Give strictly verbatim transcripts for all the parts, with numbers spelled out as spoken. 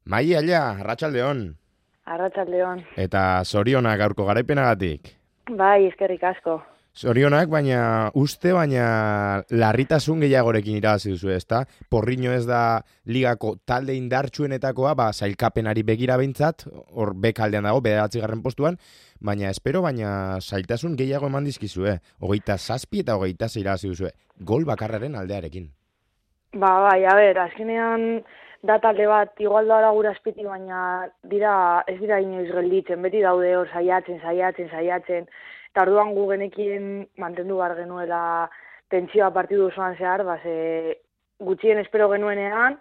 Mai aia, arratsaldeon. Arratsaldeon. Eta zorionak gaurko garaipenagatik. Bai, eskerrik asko. Zorionak, baina uste, baina larritasun gehiagorekin irabazi duzu, ezta? Porriño ez da ligako talde indartsuenetakoa, ba, sailkapenari begira behintzat, hor bekaldean dago, bederatzigarren postuan, baina espero, baina zailtasun gehiago eman dizkizue. Hogeita zazpi eta hogeita sei irabazi duzue. Gol bakarraren aldearekin. Ba, bai, a ber, azkenean da talde bat igual da gura azpitik, baina dira, ez dira inoiz gelditzen, beti daude hor saiatzen, saiatzen, saiatzen, eta orduan gu genekien mantendu behar genuela tentsioa partidu osoan zehar, ba, ze gutxien espero genuenean,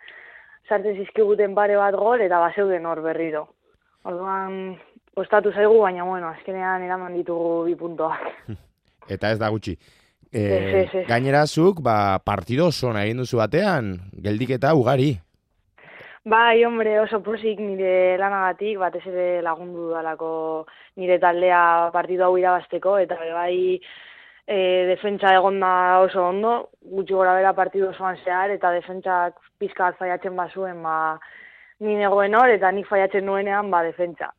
sartzen zizkiguten pare bat gol, eta bazeuden hor berriro. Orduan, kostatu zaigu, baina, bueno, azkenean eraman ditugu bi puntoak. Eta ez da gutxi. E, Ez, ez, ez. Gainerazuk, ba, partido oso egin duzu batean, geldiketa ugari. Bai, hombre, oso posik nire lanagatik, batez ere lagundu dudalako nire taldea partidu hau irabazteko, eta bai e, defentsa egonda oso ondo, gutxi gora bera partidu osoan zehar, eta defentsak pizka bat faiatzen bazuen, ba, ni negoen hor, eta nik faiatzen nuenean, ba, defentsa.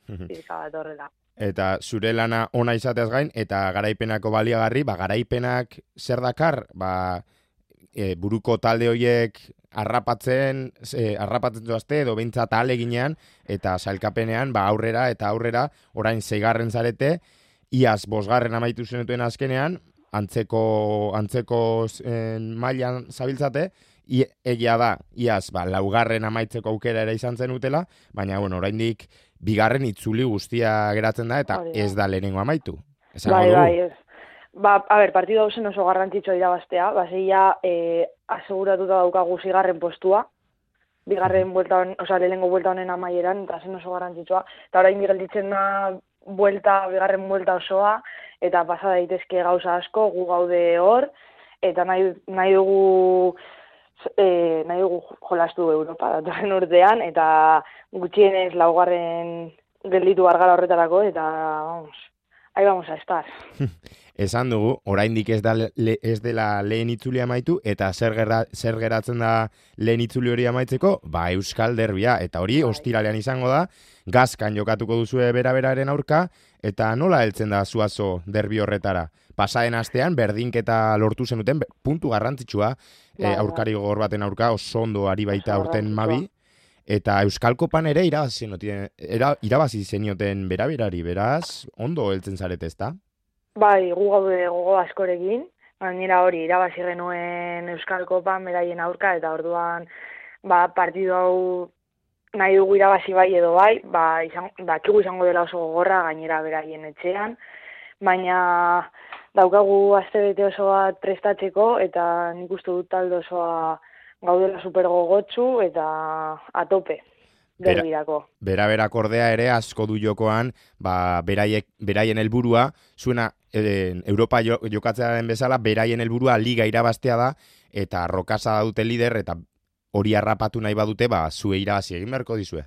Pizka bat horrela. Eta zure lana ona izateaz gain, eta garaipenako baliagarri, ba, garaipenak zer dakar, ba, e, buruko talde horiek arrapatzen, e, arrapatzen zoazte, edo behintzat ahaleginean, eta sailkapenean, ba, aurrera eta aurrera, orain zeigarren zarete, iaz bosgarren amaitu zenutuen azkenean, antzeko, antzeko en, mailan zabiltzate, I, egia da, iaz, ba, laugarren amaitzeko aukera ere izan zen utela, baina, bueno, oraindik bigarren itzuli guztia geratzen da, eta Hori da. ez da lehenengo amaitu. Esango Bai, dugu. bai, ez. Ba, a ber, partidu hausen oso garrantzitsua irabaztea, baseia e, aseguratuta daukagu zigarren postua, bigarren buelta hon, oza, lehenengo buelta honen amaieran, eta zen oso garrantzitsua, eta orain gelditzen da buelta, bigarren buelta osoa, eta pasa daitezke gauza asko, gu gaude hor, eta nahi, nahi dugu e, nahi dugu jolastu Europa datorren urtean, eta gutxienez laugarren gelditu gargara horretarako, eta vamos, ahí vamos a estar. Esan dugu, oraindik ez da le, ez dela lehen itzuli amaitu, eta zer, gerra, zer geratzen da lehen itzuli hori amaitzeko, ba Euskal Derbia, eta hori ostiralean izango da, Gazkan jokatuko duzue bera-beraren aurka, eta nola heltzen da Zuazo derbi horretara? Pasaden astean, berdinketa lortu zenuten, puntu garrantzitsua, e, aurkari gogor baten aurka, oso ondo ari baita aurten Mabi, eta Euskal Kopan ere irabazi zenioten, era, irabazi zenioten bera-berari, beraz, ondo heltzen zarete ezta? Bai, gu gaude gogo askorekin, gainera hori irabazi genuen Euskal Kopan beraien aurka, eta orduan ba, partidu hau nahi dugu irabazi bai edo bai, ba, izan, dakigu izango dela oso gogorra gainera beraien etxean, baina daukagu astebete oso bat prestatzeko, eta nik uste dut talde osoa gaudela super gogotsu eta atope. Derbirako. Bera-berak ordea ere asko du jokoan, ba, beraiek, beraien helburua, zuena e, Europa jo, jokatzea den bezala, beraien helburua liga irabaztea da, eta Rokasa dute lider, eta hori harrapatu nahi badute, ba, zue irabazi egin beharko dizue.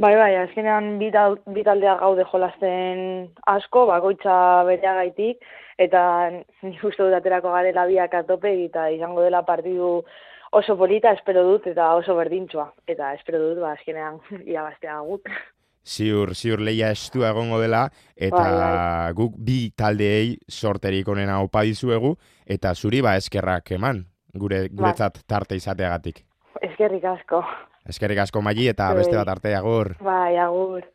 Bai, bai, azkenean bi taldeak gaude jolasten asko, bakoitza bereagaitik, eta nik uste dut aterako garela biak atope, eta izango dela partidu oso polita, espero dut, eta oso berdintxoa. Eta espero dut, ba, azkenean irabaztea gut. Ziur, ziur leia estua egongo dela, eta bai, bai. guk bi taldeei sorterik onena opa dizuegu, eta zuri ba eskerrak eman, gure guretzat tarte izateagatik. Eskerrik asko. Eskerrik asko Maili, eta beste bat arte, agur. Bai, agur.